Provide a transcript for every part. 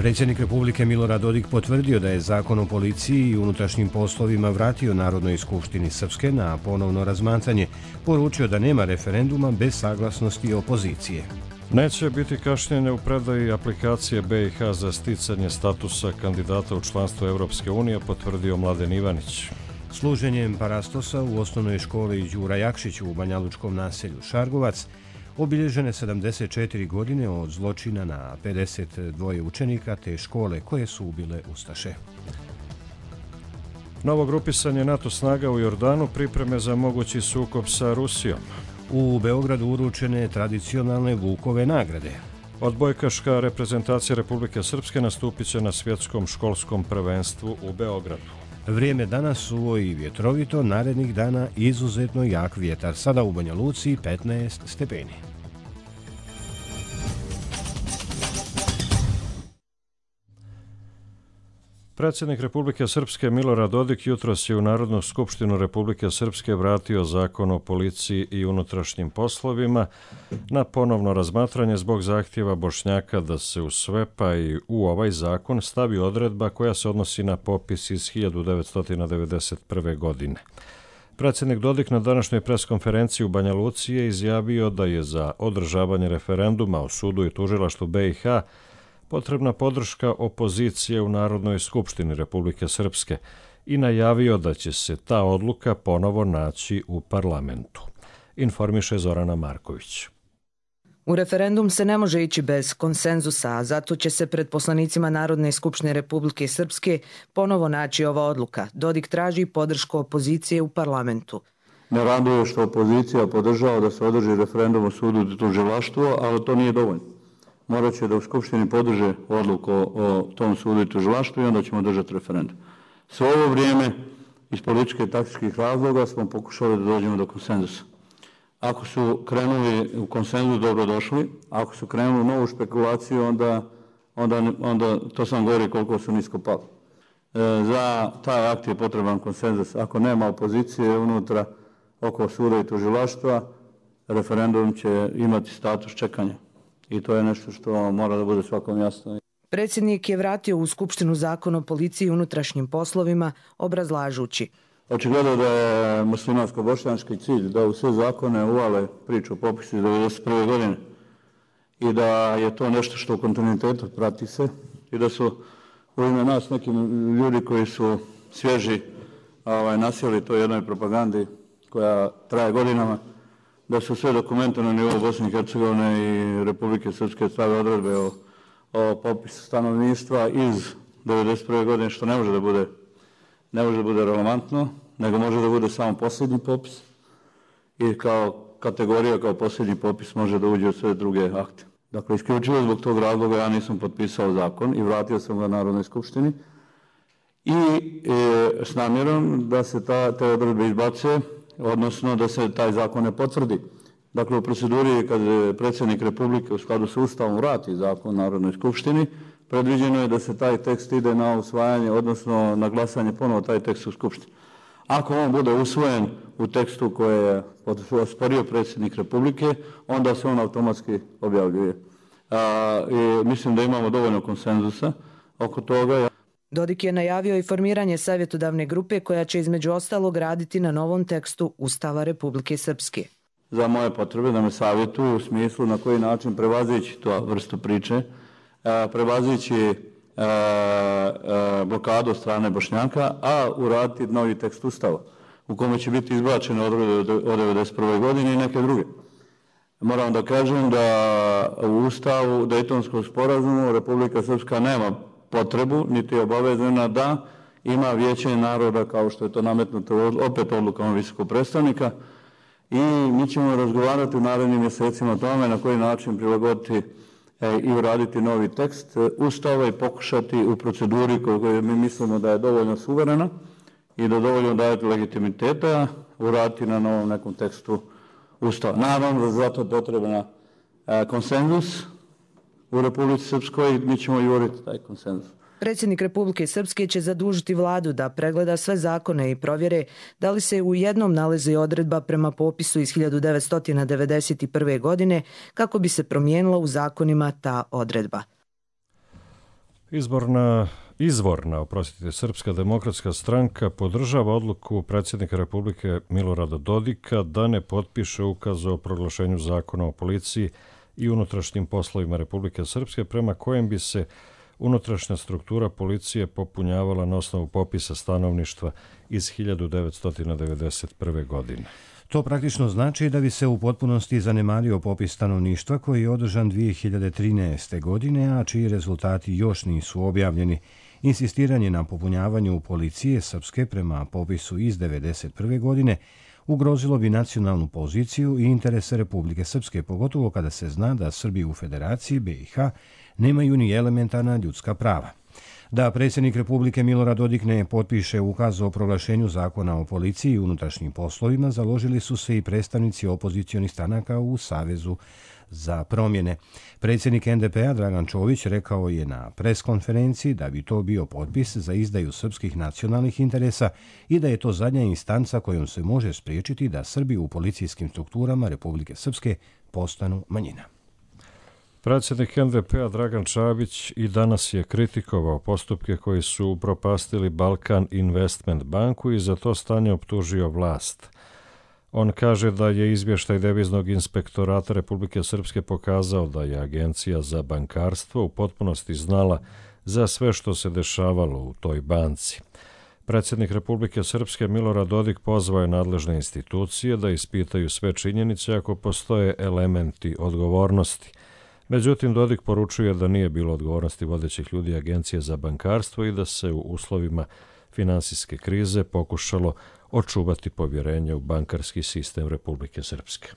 Predsjednik Republike Milorad Dodik potvrdio da je Zakon o policiji i unutrašnjim poslovima vratio Narodnoj skupštini Srpske na ponovno razmatranje, poručio da nema referenduma bez saglasnosti opozicije. Neće biti kašnjenja u predaji aplikacije BiH za sticanje statusa kandidata u članstvo Evropske unije, potvrdio Mladen Ivanić. Služenjem parastosa u osnovnoj školi Đura Jakšić u banjalučkom naselju Šargovac obilježene 74 godine od zločina na 52 učenika te škole koje su ubile ustaše. Novo grupisanje NATO snaga u Jordanu, pripreme za mogući sukob sa Rusijom. U Beogradu uručene tradicionalne Vukove nagrade. Odbojkaška reprezentacija Republike Srpske nastupit će na svjetskom školskom prvenstvu u Beogradu. Vrijeme danas suvo i vjetrovito, narednih dana izuzetno jak vjetar. Sada u Banja Luci 15 stepeni. Predsjednik Republike Srpske Milorad Dodik jutros je u Narodnu skupštinu Republike Srpske vratio Zakon o policiji i unutrašnjim poslovima na ponovno razmatranje zbog zahtjeva Bošnjaka da se u sve pa i u ovaj zakon stavi odredba koja se odnosi na popis iz 1991. godine. Predsjednik Dodik na današnjoj preskonferenciji u Banja Luci je izjavio da je za održavanje referenduma o sudu i tužilaštvu BiH potrebna podrška opozicije u Narodnoj skupštini Republike Srpske i najavio da će se ta odluka ponovo naći u parlamentu. Informiše Zorana Marković. U referendum se ne može ići bez konsenzusa, a zato će se pred poslanicima Narodne skupštine Republike Srpske ponovo naći ova odluka. Dodik traži podršku opozicije u parlamentu. Me raduje što opozicija podržava da se održi referendum o sudu i tužilaštvu, ali to nije dovoljno. Morat će da u Skupštini podrže odluku o tom sudu i tužilaštvu i onda ćemo držati referendum. Sve ovo vrijeme iz političke i taktičkih razloga smo pokušali da dođemo do konsenzusa. Ako su krenuli u konsenzus, dobro došli. Ako su krenuli u novu špekulaciju, onda to sam govori koliko su nisko pali. Za taj akt je potreban konsenzus. Ako nema opozicije unutra oko suda i tužilaštva, referendum će imati status čekanja. I to je nešto što mora da bude svakom jasno. Predsjednik je vratio u Skupštinu Zakon o policiji i unutrašnjim poslovima, obrazlažući. Očigledno da je muslimansko-bošnjački cilj da u sve zakone uvale priču o popisu iz 1991. godine i da je to nešto što u kontinuitetu prati se i da su u ime nas neki ljudi koji su svježi nasjeli toj jednoj propagandi koja traje godinama, da su sve dokumente na nivou Bosne i Hercegovine i Republike Srpske stave odredbe o popisu stanovništva iz 1991. godine, što ne može da bude relevantno, nego može da bude samo posljednji popis i kao kategorija, kao posljednji popis može da uđe u sve druge akte. Dakle, isključivo zbog tog razloga ja nisam potpisao zakon i vratio sam ga Narodnoj skupštini i s namjerom da se te odredbe izbace, odnosno da se taj zakon ne potvrdi. Dakle, u proceduri kad predsjednik Republike u skladu s Ustavom vrati zakon Narodnoj skupštini, predviđeno je da se taj tekst ide na usvajanje, odnosno na glasanje ponovo taj tekst u skupštini. Ako on bude usvojen u tekstu koje je osporio predsjednik Republike, onda se on automatski objavljuje. I mislim da imamo dovoljno konsenzusa oko toga. Dodik je najavio i formiranje savjetodavne grupe koja će između ostalog raditi na novom tekstu Ustava Republike Srpske. Za moje potrebe da me savjetuju u smislu na koji način prevazići tu vrstu priče, prevazići blokadu od strane Bošnjaka, a uraditi novi tekst Ustava u kome će biti izbačene odredbe od 1991. godine i neke druge. Moram da kažem da u Ustavu Dejtonskog sporazuma Republika Srpska nema potrebu, niti je obavezana da ima vijeće naroda kao što je to nametnuto opet odlukama visokog predstavnika i mi ćemo razgovarati u narednim mjesecima o tome na koji način prilagoditi i uraditi novi tekst Ustava i pokušati u proceduri koju mi mislimo da je dovoljno suverena i da dovoljno daje legitimiteta uraditi na novom nekom tekstu Ustava. Naravno da zato je potrebna konsenzus u Republici Srpskoj i mi ćemo i uraditi taj konsenzus. Predsjednik Republike Srpske će zadužiti vladu da pregleda sve zakone i provjere da li se u jednom nalazi odredba prema popisu iz 1991. godine kako bi se promijenila u zakonima ta odredba. Izvorna, Srpska demokratska stranka podržava odluku predsjednika Republike Milorada Dodika da ne potpiše ukaz o proglašenju zakona o policiji i unutrašnjim poslovima Republike Srpske, prema kojem bi se unutrašnja struktura policije popunjavala na osnovu popisa stanovništva iz 1991. godine. To praktično znači da bi se u potpunosti zanemario popis stanovništva koji je održan 2013. godine, a čiji rezultati još nisu objavljeni. Insistiranje na popunjavanju policije Srpske prema popisu iz 1991. godine ugrozilo bi nacionalnu poziciju i interese Republike Srpske, pogotovo kada se zna da Srbi u Federaciji BiH nemaju ni elementarna ljudska prava. Da predsjednik Republike Milorad Dodik ne potpiše ukaz o proglašenju zakona o policiji i unutrašnjim poslovima, založili su se i predstavnici opozicionih stranaka u Savezu za promjene. Predsjednik NDP-a Dragan Čović rekao je na preskonferenciji da bi to bio potpis za izdaju srpskih nacionalnih interesa i da je to zadnja instanca kojom se može spriječiti da Srbi u policijskim strukturama Republike Srpske postanu manjina. Predsjednik NDP-a Dragan Čabić i danas je kritikovao postupke koji su upropastili Balkan Investment banku i za to stanje optužio vlast. On kaže da je izvještaj Deviznog inspektorata Republike Srpske pokazao da je Agencija za bankarstvo u potpunosti znala za sve što se dešavalo u toj banci. Predsjednik Republike Srpske Milorad Dodik pozvao je nadležne institucije da ispitaju sve činjenice ako postoje elementi odgovornosti. Međutim, Dodik poručuje da nije bilo odgovornosti vodećih ljudi Agencije za bankarstvo i da se u uslovima finansijske krize pokušalo očuvati povjerenje u bankarski sistem Republike Srpske.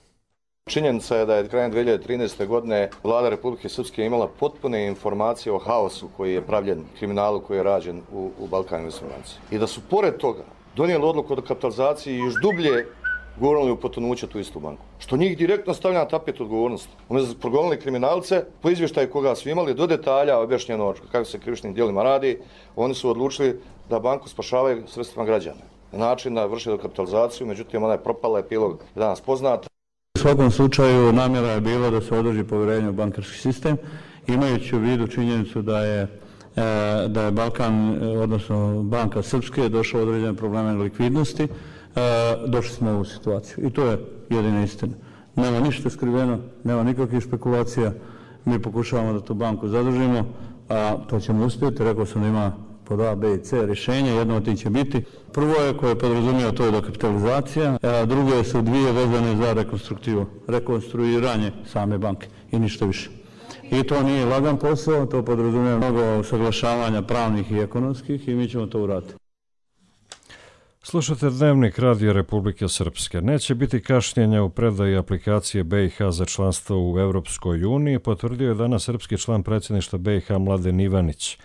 Činjenica je da je krajem 2013. godine vlada Republike Srpske imala potpune informacije o haosu koji je pravljen, kriminalu koji je rađen u Balkan Investment banci. I da su pored toga donijeli odluku o dokapitalizaciji i još dublje gurnuli u potonuće tu istu banku. Što njih direktno stavlja na tapet odgovornosti. Umjesto da su progonili kriminalce, po izvještaju koga su imali, do detalja objašnjeno kako se krivičnim djelima radi, oni su odlučili da banku spašavaju sredstvima građana. Na način da vrše dokapitalizaciju, međutim ona je propala, epilog je danas poznat. U svakom slučaju namjera je bila da se održi povjerenje u bankarski sistem, imajući u vidu činjenicu da je Balkan, odnosno banka Srpske, došla u određene probleme likvidnosti. Došli smo u ovu situaciju i to je jedina istina. Nema ništa skriveno, nema nikakvih špekulacija. Mi pokušavamo da tu banku zadržimo, a to ćemo uspjeti. Rekao sam da ima pod A, B i C rješenja, jedno od tih će biti. Prvo je koje podrazumijeva, to je dokapitalizacija, a drugo su dvije vezane za rekonstruiranje same banke i ništa više. I to nije lagan posao, to podrazumijeva mnogo usaglašavanja pravnih i ekonomskih i mi ćemo to uraditi. Slušate Dnevnik Radija Republike Srpske. Neće biti kašnjenja u predaji aplikacije BiH za članstvo u Evropskoj uniji, potvrdio je danas srpski član predsjedništva BiH Mladen Ivanić,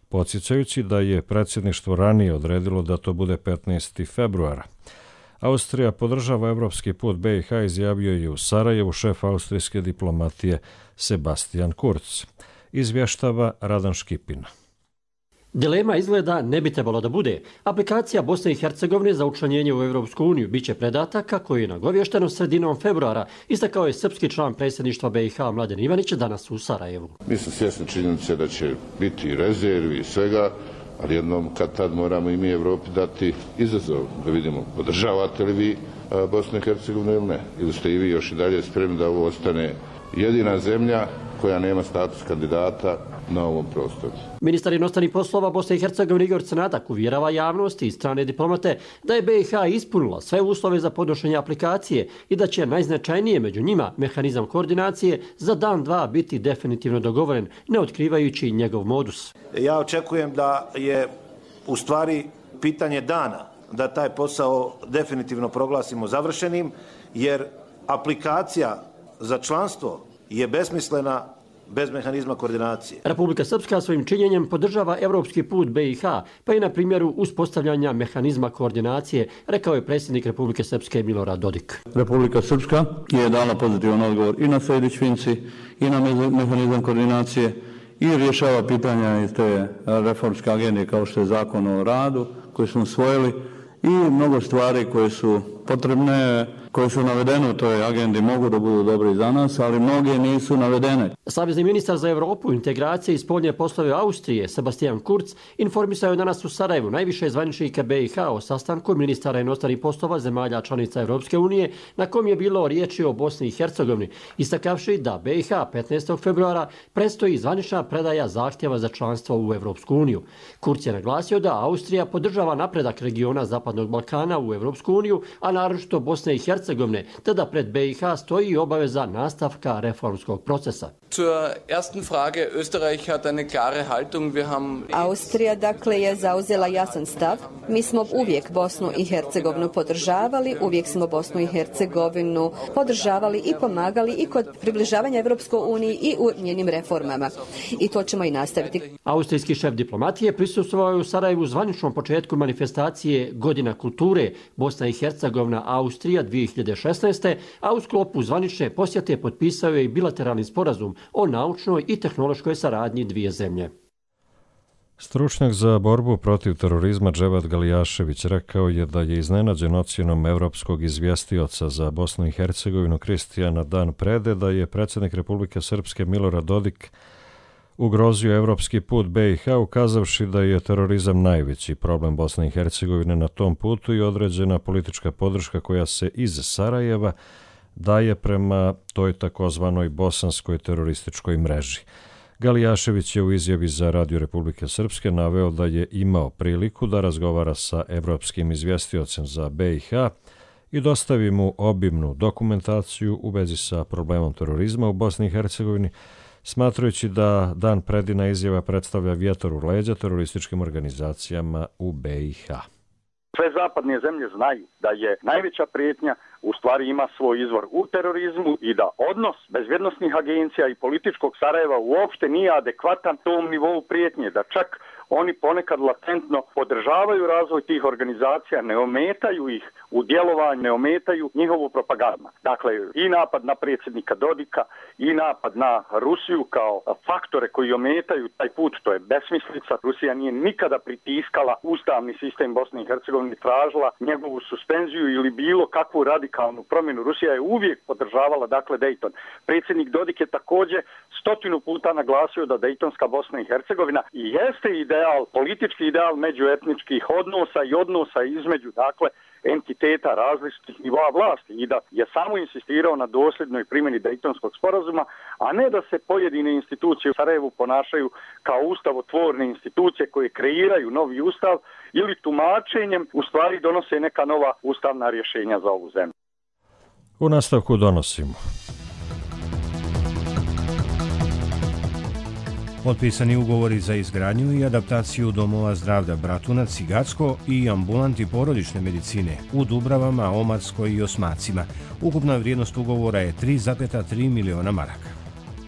podsjećajući da je predsjedništvo ranije odredilo da to bude 15. februara. Austrija podržava evropski put BiH, izjavio je u Sarajevu šef austrijske diplomatije Sebastian Kurz. Izvještava Radan Škipina. Dilema izgleda ne bi trebalo da bude. Aplikacija Bosne i Hercegovine za učlanjenje u Evropsku uniju biće predata kako je nagovješteno sredinom februara, istakao je srpski član predsjedništva BiH Mladen Ivanić danas u Sarajevu. Mi smo svjesni činjenice da će biti rezervi i svega, ali jednom kad tad moramo i mi Evropi dati izazov da vidimo podržavate li vi Bosnu i Hercegovinu ili ne. Ili ste i vi još i dalje spremni da ovo ostane jedina zemlja koja nema status kandidata na ovom prostoru. Ministar inostranih poslova Bosne i Hercegovine Igor Crnatak uvjerava javnosti i strane diplomate da je BiH ispunila sve uslove za podnošenje aplikacije i da će najznačajnije među njima mehanizam koordinacije za dan, dva biti definitivno dogovoren, ne otkrivajući njegov modus. Ja očekujem da je u stvari pitanje dana da taj posao definitivno proglasimo završenim, jer aplikacija za članstvo je besmislena bez mehanizma koordinacije. Republika Srpska svojim činjenjem podržava evropski put BiH, pa i na primjeru uspostavljanja mehanizma koordinacije, rekao je predsjednik Republike Srpske Milorad Dodik. Republika Srpska je dala pozitivan odgovor i na Sejdić-Finci i na mehanizam koordinacije i rješava pitanja iz te reformske agende kao što je zakon o radu koji smo usvojili i mnogo stvari koje su potrebne, koje su navedene u toj agendi mogu da budu dobri za nas, ali mnoge nisu navedene. Savezni ministar za Evropu, integracije i spoljne poslove Austrije, Sebastian Kurz, informisao je danas u Sarajevu najviše zvaničnika BiH o sastanku ministara inostranih poslova zemalja članica Evropske unije, na kom je bilo riječi o Bosni i Hercegovini, istakavši da BiH 15. februara predstoji zvanična predaja zahtjeva za članstvo u Evropsku uniju. Kurz je naglasio da Austrija podržava napredak regiona Zapadnog Balkana u Evropsku uniju, a naročito Bosne i Hercegovine, te da pred BiH stoji obaveza nastavka reformskog procesa. Austrija dakle je zauzela jasan stav. Mi smo uvijek Bosnu i Hercegovinu podržavali, uvijek smo Bosnu i Hercegovinu podržavali i pomagali i kod približavanja Evropskoj uniji i u njenim reformama. I to ćemo i nastaviti. Austrijski šef diplomatije prisustvovao je u Sarajevu zvaničnom početku manifestacije Godina kulture Bosna i Hercegovina Austrija 2016. a u sklopu zvanične posjete potpisao je i bilateralni sporazum o naučnoj i tehnološkoj saradnji dvije zemlje. Stručnjak za borbu protiv terorizma Dževat Galijašević rekao je da je iznenađen ocjenom evropskog izvjestioca za Bosnu i Hercegovinu Kristijana Dan Prede da je predsjednik Republike Srpske Milorad Dodik ugrozio evropski put BiH, ukazavši da je terorizam najveći problem Bosne i Hercegovine na tom putu i određena politička podrška koja se iz Sarajeva daje prema toj takozvanoj bosanskoj terorističkoj mreži. Galijašević je u izjavi za Radio Republike Srpske naveo da je imao priliku da razgovara sa evropskim izvjestiocem za BiH i dostavi mu obimnu dokumentaciju u vezi sa problemom terorizma u Bosni i Hercegovini, smatrajući da Dan Predina izjava predstavlja vjetar u leđa terorističkim organizacijama u BiH. Sve zapadne zemlje znaju da je najveća prijetnja u stvari ima svoj izvor u terorizmu i da odnos bezbjednosnih agencija i političkog Sarajeva uopšte nije adekvatan tom nivou prijetnje, da čak oni ponekad latentno podržavaju razvoj tih organizacija, ne ometaju ih u djelovanju, ne ometaju njihovu propagandu. Dakle, i napad na predsjednika Dodika i napad na Rusiju kao faktore koji ometaju taj put, to je besmislica. Rusija nije nikada pritiskala ustavni sistem Bosne i Hercegovine, tražila njegovu suspenziju ili bilo kakvu radikalnu promjenu. Rusija je uvijek podržavala, dakle, Dejton. Predsjednik Dodik je također 100 puta naglasio da Dejtonska Bosna i Hercegovina i jeste ideal, politički ideal međuetničkih odnosa i odnosa između, dakle, entiteta različitih nivoa vlasti i da je samo insistirao na dosljednoj primjeni Dejtonskog sporazuma, a ne da se pojedine institucije u Sarajevu ponašaju kao ustavotvorne institucije koje kreiraju novi ustav ili tumačenjem u stvari donose neka nova ustavna rješenja za ovu zemlju. U nastavku donosimo. Potpisani ugovori za izgradnju i adaptaciju domova zdravlja Bratunac i Gacko i ambulanti porodične medicine u Dubravama, Omarskoj i Osmacima. Ukupna vrijednost ugovora je 3,3 miliona maraka.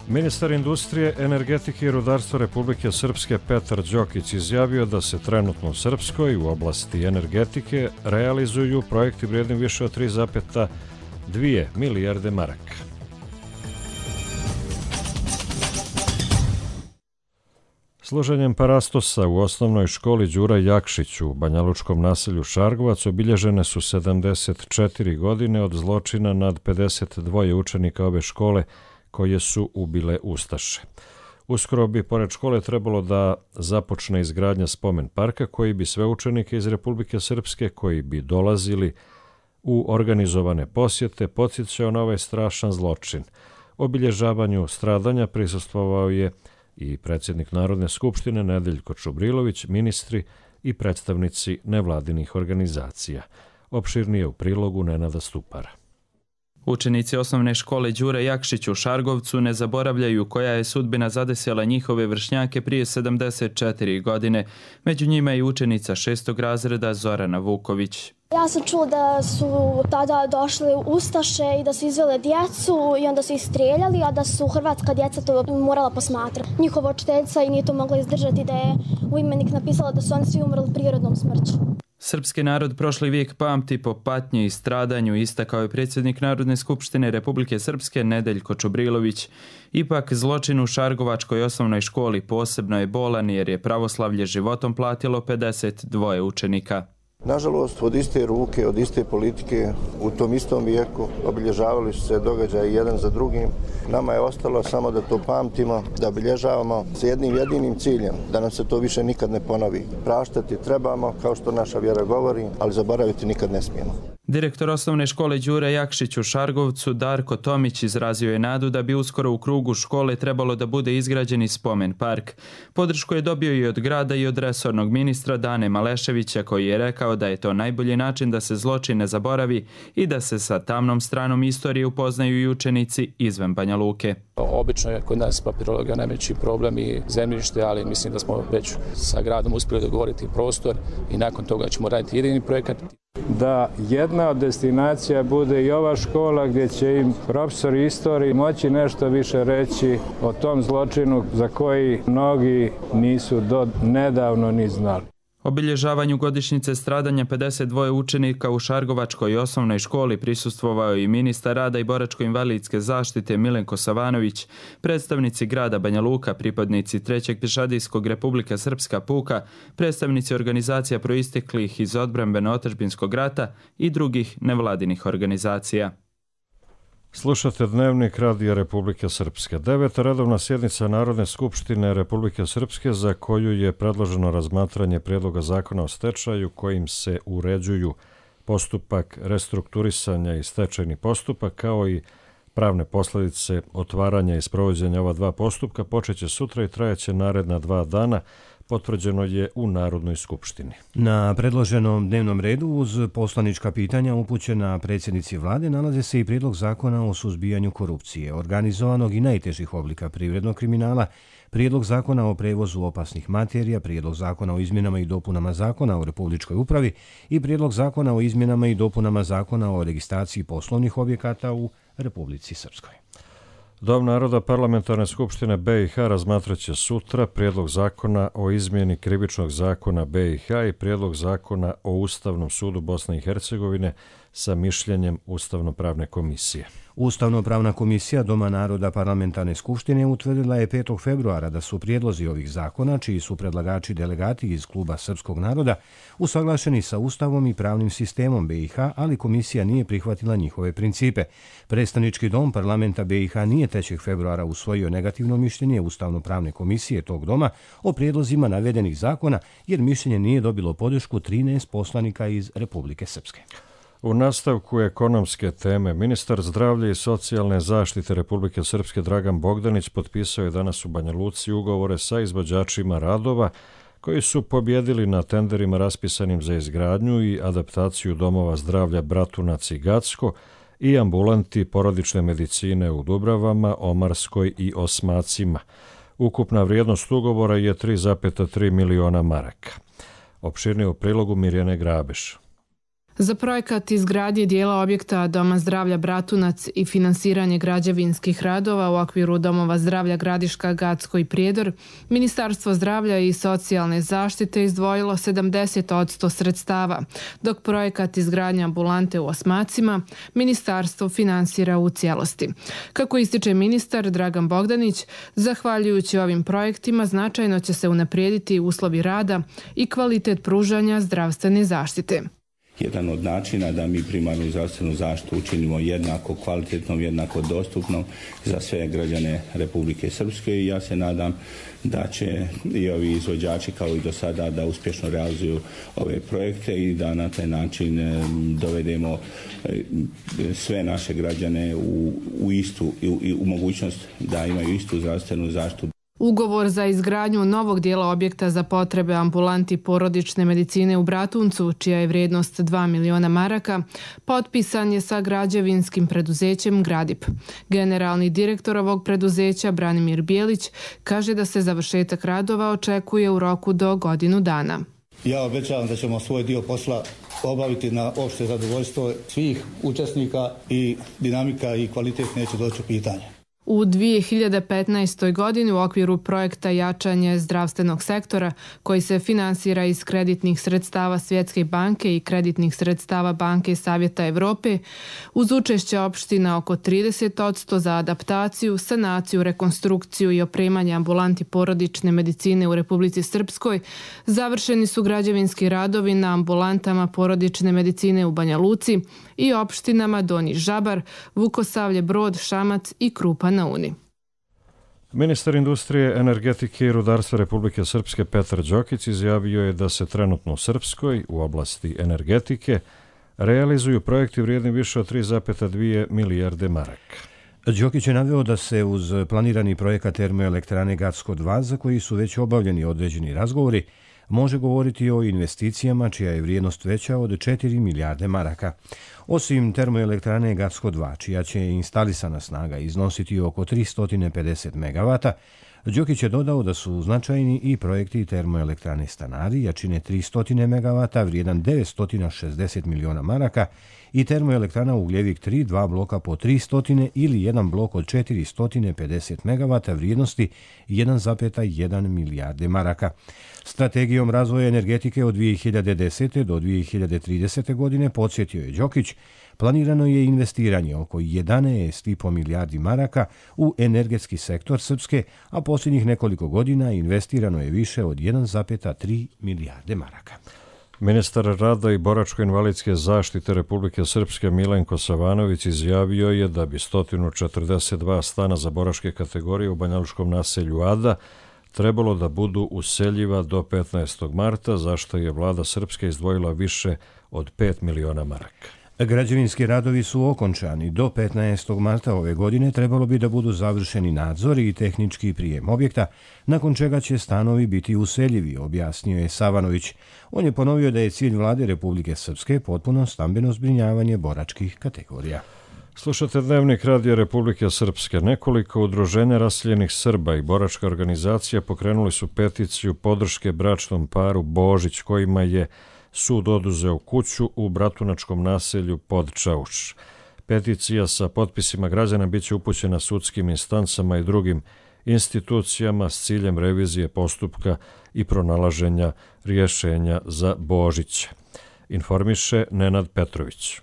Ministar industrije, energetike i rudarstva Republike Srpske Petar Đokić izjavio da se trenutno u Srpskoj u oblasti energetike realizuju projekti vrijedni više od 3,2 milijarde maraka. Služenjem parastosa u osnovnoj školi Đura Jakšić u banjalučkom naselju Šargovac obilježene su 74 godine od zločina nad 52 učenika ove škole koje su ubile ustaše. Uskoro bi pored škole trebalo da započne izgradnja spomen parka koji bi sve učenike iz Republike Srpske koji bi dolazili u organizovane posjete podsjećao na ovaj strašan zločin. Obilježavanju stradanja prisustvovao je i predsjednik Narodne skupštine Nedeljko Čubrilović, ministri i predstavnici nevladinih organizacija. Opširnije u prilogu Nenada Stupara. Učenici osnovne škole Đure Jakšić u Šargovcu ne zaboravljaju koja je sudbina zadesila njihove vršnjake prije 74 godine. Među njima je i učenica 6. razreda Zorana Vuković. Ja sam čula da su tada došli ustaše i da su izvele djecu i onda su ih strijeljali, a da su hrvatska djeca to morala posmatrati. Njihova učiteljica i nije to mogla izdržati da je u imenik napisala da su oni svi umrli prirodnom smrću. Srpski narod prošli vijek pamti po patnji i stradanju, istakao je predsjednik Narodne skupštine Republike Srpske Nedeljko Čubrilović. Ipak zločin u Šargovačkoj osnovnoj školi posebno je bolan jer je pravoslavlje životom platilo 52 učenika. Nažalost, od iste ruke, od iste politike, u tom istom vijeku obilježavali su se događaji jedan za drugim. Nama je ostalo samo da to pamtimo, da obilježavamo s jednim jedinim ciljem, da nam se to više nikad ne ponovi. Praštati trebamo, kao što naša vjera govori, ali zaboraviti nikad ne smijemo. Direktor osnovne škole Đure Jakšić u Šargovcu, Darko Tomić, izrazio je nadu da bi uskoro u krugu škole trebalo da bude izgrađen i spomen park. Podršku je dobio i od grada i od resornog ministra Dane Maleševića, koji je rekao da je to najbolji način da se zločin ne zaboravi i da se sa tamnom stranom istorije upoznaju i učenici izvan Banja Luke. Obično je kod nas papirologija najveći problem i zemljište, ali mislim da smo već sa gradom uspjeli dogovoriti prostor i nakon toga ćemo raditi jedini projekat. Da jedna od destinacija bude i ova škola gdje će im profesori istorije moći nešto više reći o tom zločinu za koji mnogi nisu do nedavno ni znali. Obilježavanju godišnjice stradanja 52 učenika u Šargovačkoj osnovnoj školi prisustvovao i ministar rada i boračko-invalidske zaštite Milenko Savanović, predstavnici grada Banja Luka, pripadnici 3. pješadijskog Republika Srpska puka, predstavnici organizacija proisteklih iz odbrambeno-otadžbinskog rata i drugih nevladinih organizacija. Slušate Dnevnik Radija Republike Srpske. 9. redovna sjednica Narodne skupštine Republike Srpske, za koju je predloženo razmatranje prijedloga zakona o stečaju kojim se uređuju postupak restrukturisanja i stečajni postupak, kao i pravne posljedice otvaranja i sprovođenja ova dva postupka, počeće sutra i trajaće naredna 2 dana, potvrđeno je u Narodnoj skupštini. Na predloženom dnevnom redu uz poslanička pitanja upućena predsjednici vlade nalaze se i prijedlog zakona o suzbijanju korupcije, organizovanog i najtežih oblika privrednog kriminala, prijedlog zakona o prevozu opasnih materija, prijedlog zakona o izmjenama i dopunama zakona o Republičkoj upravi i prijedlog zakona o izmjenama i dopunama zakona o registraciji poslovnih objekata u Republici Srpskoj. Dom naroda Parlamentarne skupštine BiH razmatraće sutra prijedlog zakona o izmjeni krivičnog zakona BiH i prijedlog zakona o Ustavnom sudu Bosne i Hercegovine sa mišljenjem Ustavno-pravne komisije. Ustavno-pravna komisija Doma naroda Parlamentarne skupštine utvrdila je 5. februara da su prijedlozi ovih zakona, čiji su predlagači delegati iz Kluba srpskog naroda, usaglašeni sa Ustavom i pravnim sistemom BiH, ali komisija nije prihvatila njihove principe. Predstavnički dom parlamenta BiH nije 3. februara usvojio negativno mišljenje Ustavno-pravne komisije tog doma o prijedlozima navedenih zakona, jer mišljenje nije dobilo podršku 13 poslanika iz Republike Srpske. U nastavku ekonomske teme, ministar zdravlja i socijalne zaštite Republike Srpske Dragan Bogdanić potpisao je danas u Banja Luci ugovore sa izvođačima radova koji su pobjedili na tenderima raspisanim za izgradnju i adaptaciju domova zdravlja Bratunac i Gacko i ambulanti porodične medicine u Dubravama, Omarskoj i Osmacima. Ukupna vrijednost ugovora je 3,3 miliona maraka. Opširnije u prilogu Mirjane Grabeš. Za projekat izgradnje dijela objekta Doma zdravlja Bratunac i finansiranje građevinskih radova u okviru Domova zdravlja Gradiška, Gacko i Prijedor, Ministarstvo zdravlja i socijalne zaštite izdvojilo 70% sredstava, dok projekat izgradnje ambulante u Osmacima Ministarstvo finansira u cijelosti. Kako ističe ministar Dragan Bogdanić, zahvaljujući ovim projektima značajno će se unaprijediti uslovi rada i kvalitet pružanja zdravstvene zaštite. Jedan od načina da mi primarnu zdravstvenu zaštitu učinimo jednako kvalitetnom, jednako dostupnom za sve građane Republike Srpske i ja se nadam da će i ovi izvođači kao i do sada da uspješno realizuju ove projekte i da na taj način dovedemo sve naše građane u mogućnost da imaju istu zdravstvenu zaštitu. Ugovor za izgradnju novog dijela objekta za potrebe ambulanti porodične medicine u Bratuncu, čija je vrijednost 2 miliona maraka, potpisan je sa građevinskim preduzećem Gradip. Generalni direktor ovog preduzeća, Branimir Bijelić, kaže da se završetak radova očekuje u roku do godinu dana. Ja obećavam da ćemo svoj dio posla obaviti na opšte zadovoljstvo svih učesnika i dinamika i kvalitet neće doći u pitanje. U 2015. godini u okviru projekta jačanje zdravstvenog sektora koji se finansira iz kreditnih sredstava Svjetske banke i kreditnih sredstava Banke Savjeta Evrope, uz učešće opština oko 30% za adaptaciju, sanaciju, rekonstrukciju i opremanje ambulanti porodične medicine u Republici Srpskoj, završeni su građevinski radovi na ambulantama porodične medicine u Banja Luci i opštinama Donji Žabar, Vukosavlje, Brod, Šamac i Krupa na Uni. Ministar industrije, energetike i rudarstva Republike Srpske Petar Đokić izjavio je da se trenutno u Srpskoj u oblasti energetike realizuju projekti vrijedni više od 3,2 milijarde maraka. Đokić je naveo da se uz planirani projekat termoelektrane Gacko 2, za koji su već obavljeni određeni razgovori, može govoriti o investicijama čija je vrijednost veća od 4 milijarde maraka. Osim termoelektrane Gacko 2, čija će instalisana snaga iznositi oko 350 MW, Đokić je dodao da su značajni i projekti termoelektrane Stanari, jačine 300 MW, vrijedan 960 miliona maraka, i termoelektrana Ugljevik 3, 2 bloka po 300 ili jedan blok od 450 MW vrijednosti 1,1 milijarde maraka. Strategijom razvoja energetike od 2010. do 2030. godine, podsjetio je Đokić, planirano je investiranje oko 11,5 milijardi maraka u energetski sektor Srpske, a posljednjih nekoliko godina investirano je više od 1,3 milijarde maraka. Ministar rada i boračko-invalidske zaštite Republike Srpske Milenko Savanović izjavio je da bi 142 stana za boračke kategorije u banjalučkom naselju Ada trebalo da budu useljiva do 15. marta, za što je vlada Srpske izdvojila više od 5 miliona maraka. Građevinski radovi su okončani. Do 15. marta ove godine trebalo bi da budu završeni nadzori i tehnički prijem objekta, nakon čega će stanovi biti useljivi, objasnio je Savanović. On je ponovio da je cilj vlade Republike Srpske potpuno stambeno zbrinjavanje boračkih kategorija. Slušate Dnevnik Radija Republike Srpske. Nekoliko udruženja raseljenih Srba i boračka organizacija pokrenuli su peticiju podrške bračnom paru Božić, kojima je sud oduzeo kuću u bratunačkom naselju Podčauš. Peticija sa potpisima građana biće upućena sudskim instancama i drugim institucijama s ciljem revizije postupka i pronalaženja rješenja za Božić. Informiše Nenad Petrović.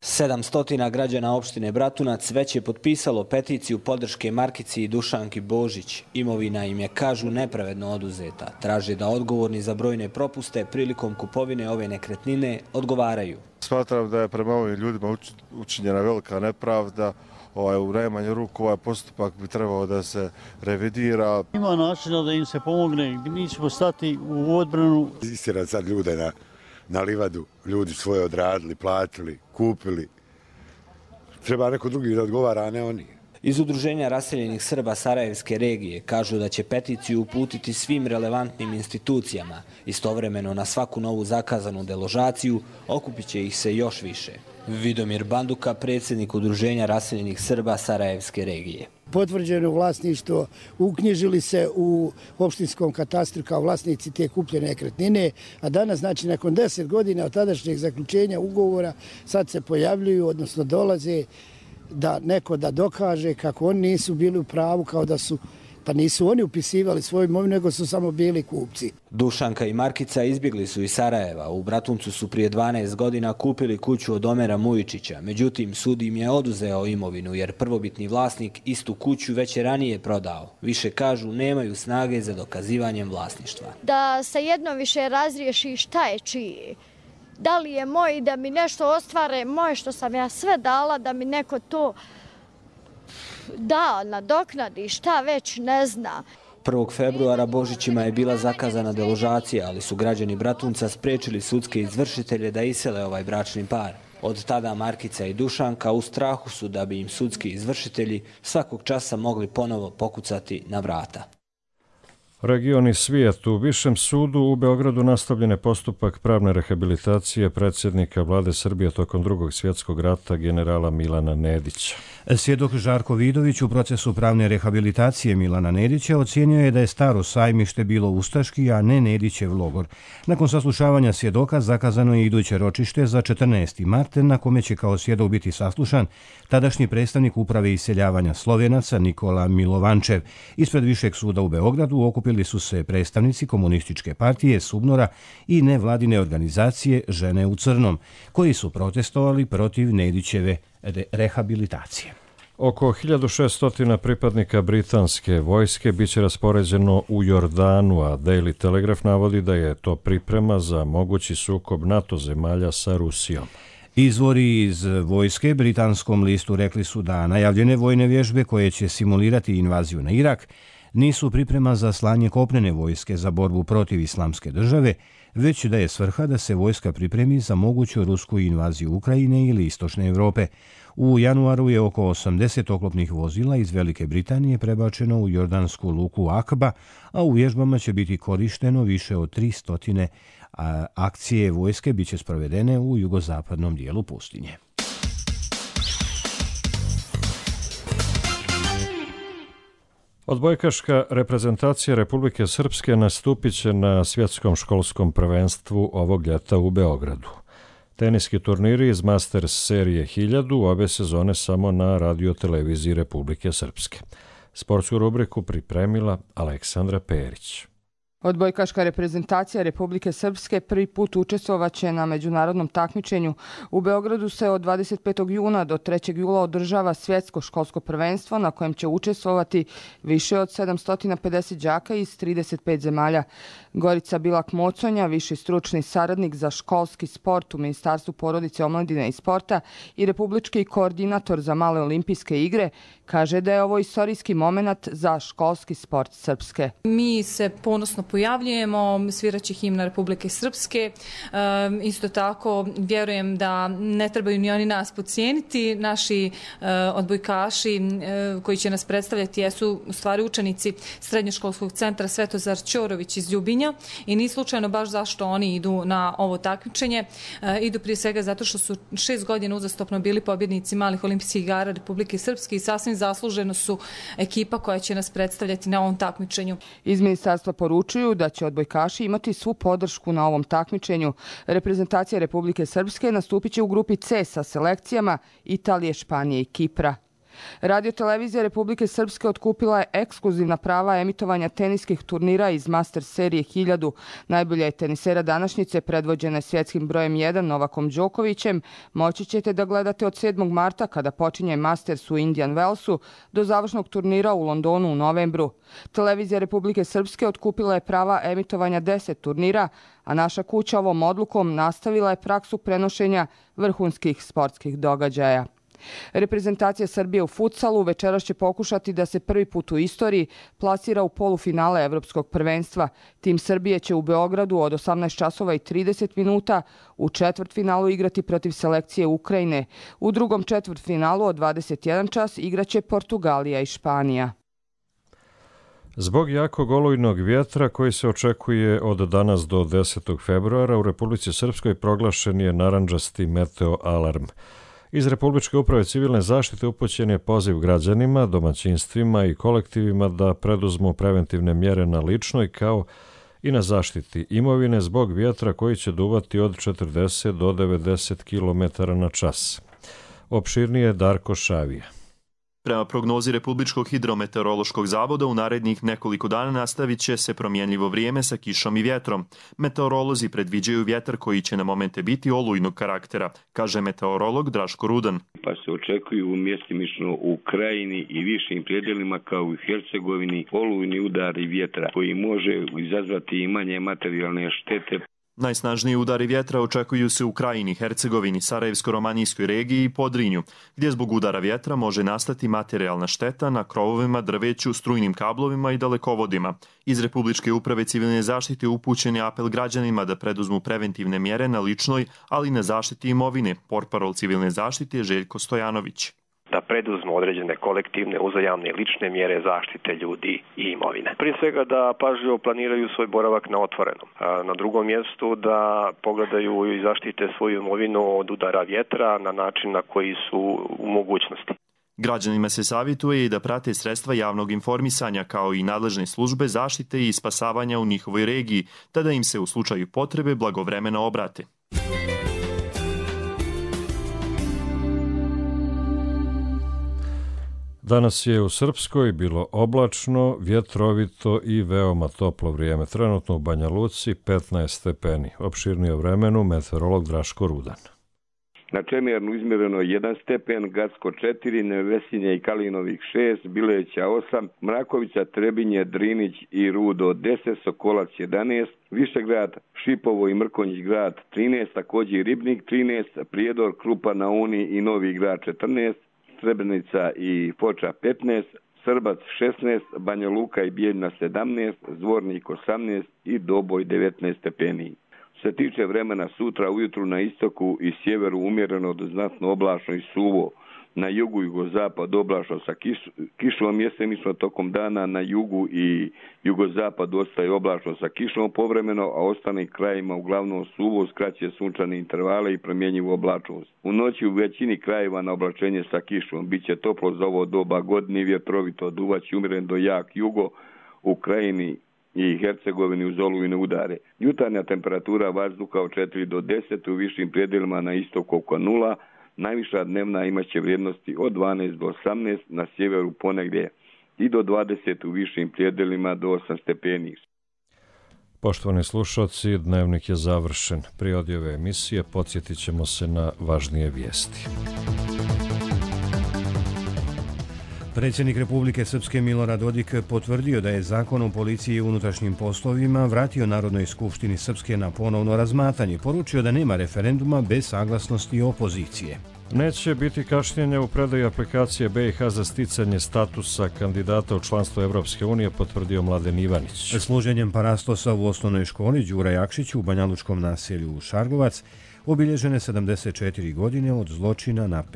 700 građana opštine Bratunac već je potpisalo peticiju podrške Markici i Dušanki Božić. Imovina im je, kažu, nepravedno oduzeta. Traže da odgovorni za brojne propuste prilikom kupovine ove nekretnine odgovaraju. Smatram da je prema ovim ljudima učinjena velika nepravda. U najmanju ruku ovaj postupak bi trebao da se revidira. Ima načina da im se pomogne, mi ćemo stati u odbranu. Istjerati sad ljude na livadu, ljudi svoje odradili, platili, kupili. Treba neko drugi da odgovara, a ne oni. Iz Udruženja raseljenih Srba Sarajevske regije kažu da će peticiju uputiti svim relevantnim institucijama. Istovremeno na svaku novu zakazanu deložaciju okupit će ih se još više. Vidomir Banduka, predsjednik Udruženja raseljenih Srba Sarajevske regije. Potvrđeno vlasništvo, uknjižili se u opštinskom katastru kao vlasnici te kupljene nekretnine, a danas, znači nakon 10 godina od tadašnjeg zaključenja ugovora, sad se pojavljuju, odnosno dolaze da neko da dokaže kako oni nisu bili u pravu, kao da su, pa nisu oni upisivali svoju imovinu, nego su samo bili kupci. Dušanka i Markica izbjegli su iz Sarajeva. U Bratuncu su prije 12 godina kupili kuću od Omera Mujičića. Međutim, sud im je oduzeo imovinu jer prvobitni vlasnik istu kuću već je ranije prodao. Više, kažu, nemaju snage za dokazivanjem vlasništva. Da se jedno više razriješi šta je čije. Da li je moj, da mi nešto ostvare moje što sam ja sve dala, da mi neko to da, nadoknadi, šta već ne zna. 1. februara Božićima je bila zakazana deložacija, ali su građani Bratunca spriječili sudske izvršitelje da isele ovaj bračni par. Od tada Markica i Dušanka u strahu su da bi im sudski izvršitelji svakog časa mogli ponovo pokucati na vrata. Region i svijet. U Višem sudu u Beogradu nastavljen je postupak pravne rehabilitacije predsjednika vlade Srbije tokom Drugog svjetskog rata generala Milana Nedića. Svjedok Žarko Vidović u procesu pravne rehabilitacije Milana Nedića ocijenio je da je Staro sajmište bilo ustaški, a ne Nedićev logor. Nakon saslušavanja svjedoka zakazano je iduće ročište za 14. mart, na kome će kao svjedok biti saslušan tadašnji predstavnik uprave iseljavanja Slovenaca Nikola Milovančev. Ispred Višeg suda u Beogradu okupili su se predstavnici Komunističke partije, Subnora i nevladine organizacije Žene u crnom, koji su protestovali protiv Nedićeve rehabilitacije. Oko 1600 pripadnika britanske vojske biće raspoređeno u Jordanu, a Daily Telegraph navodi da je to priprema za mogući sukob NATO zemalja sa Rusijom. Izvori iz vojske britanskom listu rekli su da najavljene vojne vježbe koje će simulirati invaziju na Irak nisu priprema za slanje kopnene vojske za borbu protiv Islamske države, već da je svrha da se vojska pripremi za moguću rusku invaziju Ukrajine ili Istočne Evrope. U januaru je oko 80 oklopnih vozila iz Velike Britanije prebačeno u jordansku luku Akba, a u vježbama će biti korišteno više od 300 akcije vojske biće sprovedene u jugozapadnom dijelu pustinje. Odbojkaška reprezentacija Republike Srpske nastupit će na svjetskom školskom prvenstvu ovog ljeta u Beogradu. Teniski turniri iz Masters serije 1000 ove sezone samo na radioteleviziji Republike Srpske. Sportsku rubriku pripremila Aleksandra Perić. Odbojkaška reprezentacija Republike Srpske prvi put učestvovaće na međunarodnom takmičenju. U Beogradu se od 25. juna do 3. jula održava svjetsko školsko prvenstvo na kojem će učestvovati više od 750 đaka iz 35 zemalja. Gorica Bilak-Moconja, viši stručni saradnik za školski sport u Ministarstvu porodice, omladine i sporta i republički koordinator za male olimpijske igre, kaže da je ovo istorijski moment za školski sport Srpske. Mi se ponosno pojavljujemo, sviraće himna Republike Srpske. Isto tako vjerujem da ne trebaju ni oni nas podcijeniti. Naši odbojkaši koji će nas predstavljati jesu u stvari učenici Srednjoškolskog centra Svetozar Ćorović iz Ljubinja i ni slučajno baš zašto oni idu na ovo takmičenje. Idu prije svega zato što su 6 godina uzastopno bili pobjednici malih olimpijskih igara Republike Srpske i sasvim zasluženo su ekipa koja će nas predstavljati na ovom takmičenju. Iz ministarstva poručuju da će odbojkaši imati svu podršku na ovom takmičenju. Reprezentacija Republike Srpske nastupit će u grupi C sa selekcijama Italije, Španije i Kipra. Radiotelevizija Republike Srpske otkupila je ekskluzivna prava emitovanja teniskih turnira iz Masters serije 1000. Najbolja je tenisera današnjice, predvođena svjetskim brojem 1 Novakom Đokovićem. Moći ćete da gledate od 7. marta kada počinje Masters u Indian Wellsu do završnog turnira u Londonu u novembru. Televizija Republike Srpske otkupila je prava emitovanja 10 turnira, a naša kuća ovom odlukom nastavila je praksu prenošenja vrhunskih sportskih događaja. Reprezentacija Srbije u futsalu večeras će pokušati da se prvi put u istoriji plasira u polufinale Evropskog prvenstva. Tim Srbije će u Beogradu od 18 časova i 30 minuta u četvrtfinalu igrati protiv selekcije Ukrajine. U drugom četvrtfinalu od 21 čas igraće Portugalija i Španija. Zbog jakog olujnog vjetra koji se očekuje od danas do 10. februara u Republici Srpskoj proglašen je narandžasti meteo alarm. Iz Republičke uprave civilne zaštite upućen je poziv građanima, domaćinstvima i kolektivima da preduzmu preventivne mjere na ličnoj kao i na zaštiti imovine zbog vjetra koji će duvati od 40 do 90 km na čas. Opširnije Darko Šavija. Prema prognozi Republičkog hidrometeorološkog zavoda u narednih nekoliko dana nastavit će se promjenljivo vrijeme sa kišom i vjetrom. Meteorolozi predviđaju vjetar koji će na momente biti olujnog karaktera, kaže meteorolog Draško Rudan. Pa se očekuju mjestimično u Krajini i višim predjelima kao i u Hercegovini olujni udari vjetra koji može izazvati i manje materijalne štete. Najsnažniji udari vjetra očekuju se u Krajini, Hercegovini, Sarajevsko-romanijskoj regiji i Podrinju, gdje zbog udara vjetra može nastati materijalna šteta na krovovima, drveću, strujnim kablovima i dalekovodima. Iz Republičke uprave civilne zaštite upućen je apel građanima da preduzmu preventivne mjere na ličnoj, ali i na zaštiti imovine, portparol civilne zaštite Željko Stojanović. da preduzmu određene kolektivne, uzajamne i lične mjere zaštite ljudi i imovine. Prije svega da pažljivo planiraju svoj boravak na otvorenom. Na drugom mjestu da pogledaju i zaštite svoju imovinu od udara vjetra na način na koji su u mogućnosti. Građanima se savjetuje i da prate sredstva javnog informisanja kao i nadležne službe zaštite i spasavanja u njihovoj regiji, te da im se u slučaju potrebe blagovremeno obrate. Danas je u Srpskoj bilo oblačno, vjetrovito i veoma toplo vrijeme. Trenutno u Banja Luci 15 stepeni. Opširnije o vremenu meteorolog Draško Rudan. Na Čemernu izmjereno 1 stepen, Gacko 4, Nevesinje i Kalinovih 6, Bileća 8, Mrakovica, Trebinje, Drinić i Rudo 10, Sokolac 11, Višegrad, Šipovo i Mrkonjić grad 13, također i Ribnik 13, Prijedor, Krupa na Uni i Novi grad 14, Srebrenica i Foča 15, Srbac 16, Banja Luka i Bijeljna 17, Zvornik 18 i Doboj 19 stepeni. Što se tiče vremena, sutra ujutru na istoku i sjeveru umjereno do znatno oblačno i suvo, na jugu i jugozapad oblačno sa kišom jesenično tokom dana, na jugu i jugozapad ostaje oblačno sa kišom povremeno, a ostalim krajima uglavnom suvo, skraće sunčane intervale i promjenjivu oblačnost. U noći u većini krajeva na oblačenje sa kišom biće toplo za ovo doba godine, vjetrovito, duvaći umjeren do jak jugo u Krajini i Hercegovini uz olujne udare. Jutarnja temperatura vazduha od 4 do 10, u višim predjelima na istoku oko 0, najviša dnevna imaće vrijednosti od 12 do 18, na sjeveru ponegdje i do 20 u višim predjelima do 8 stepeni. Poštovani slušalci, dnevnik je završen. Prije odjave emisije podsjetit ćemo se na važnije vijesti. Predsjednik Republike Srpske Milorad Dodik potvrdio da je Zakon o policiji i unutrašnjim poslovima vratio Narodnoj skupštini Srpske na ponovno razmatranje. Poručio da nema referenduma bez saglasnosti opozicije. Neće biti kašnjenja u predaji aplikacije BiH za sticanje statusa kandidata u članstvo Evropske unije, potvrdio Mladen Ivanić. Služenjem parastosa u osnovnoj školi Đura Jakšić u banjalučkom naselju Šargovac obilježene 74 godine od zločina nad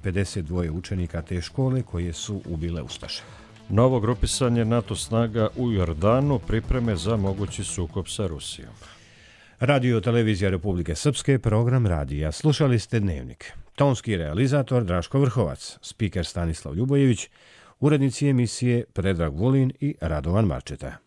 52 učenika te škole koje su ubile ustaše. Novo grupisanje NATO snaga u Jordanu, pripreme za mogući sukob sa Rusijom. Radio Televizija Republike Srpske, program radija. Slušali ste Dnevnik. Tonski realizator Draško Vrhovac, spiker Stanislav Ljubojević, urednici emisije Predrag Vulin i Radovan Marčeta.